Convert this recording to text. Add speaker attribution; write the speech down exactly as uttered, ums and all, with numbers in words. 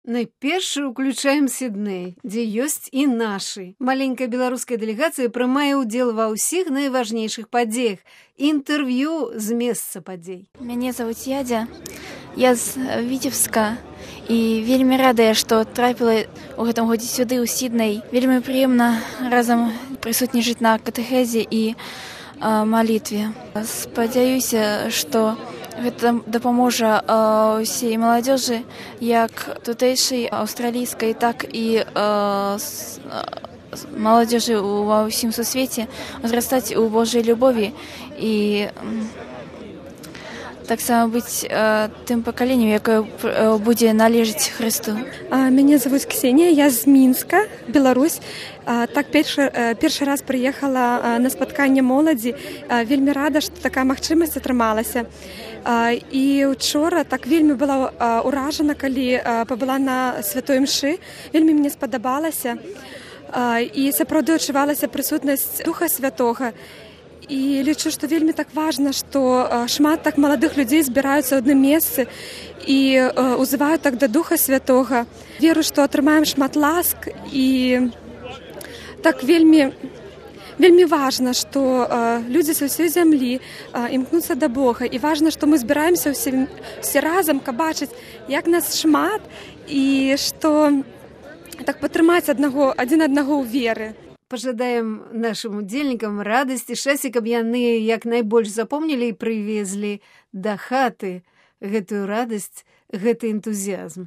Speaker 1: Найперш уключаем Сідней, дзе ёсць і нашы. Маленькая беларуская дэлегацыя прымае ўдзел ва ўсіх найважнейшых падзеях. Інтэрв'ю з месца падзей.
Speaker 2: Мяне зовут Ядзя. Я з Віцебска. І вельмі радая, што трапіла ў гэтым годзе сюды, ў Сідней. Вельмі прыемна разам прысутнічаць на катэхезе і а, малітве. Спадзяюся, што гэта дапаможа ўсей маладзёжы, як тутэйшай аўстралійскай, так і а, с, а, маладзёжы ва ўсім сусвеце узрастаць у Божай любові і таксама быць а, тым пакаленнем, якое будзе належаць Хрысту.
Speaker 3: Мяне зовут Ксения, я з Мінска, Беларусь. Так першы, першы раз прыехала на спатканне моладзі. Вельмі рада, што такая магчымасць атрымалася. І учора так вельмі была ўражана, калі пабыла на святой імшы. Вельмі мне спадабалася. І сапраўды адчувалася прысутнасць Духа Святога. І лічу, што вельмі так важна, што шмат так маладых людзей збіраюцца ў адным месцы і ўзываюць так да Духа Святога. Веру, што атрымаем шмат ласк і так вельмі, вельмі важна, што людзі са ўсёй зямлі імкнуцца да Бога. І важна, што мы збіраемся ўсе, ўсе разам, каб бачыць, як нас шмат і што так падтрымаць аднаго, адзін аднаго ў веры.
Speaker 1: Пажадаем нашим удзельнікам радасці, шчасця, каб яны як найбольш запомнілі і прывезлі да хаты гэтую радасць, гэты энтузіязм.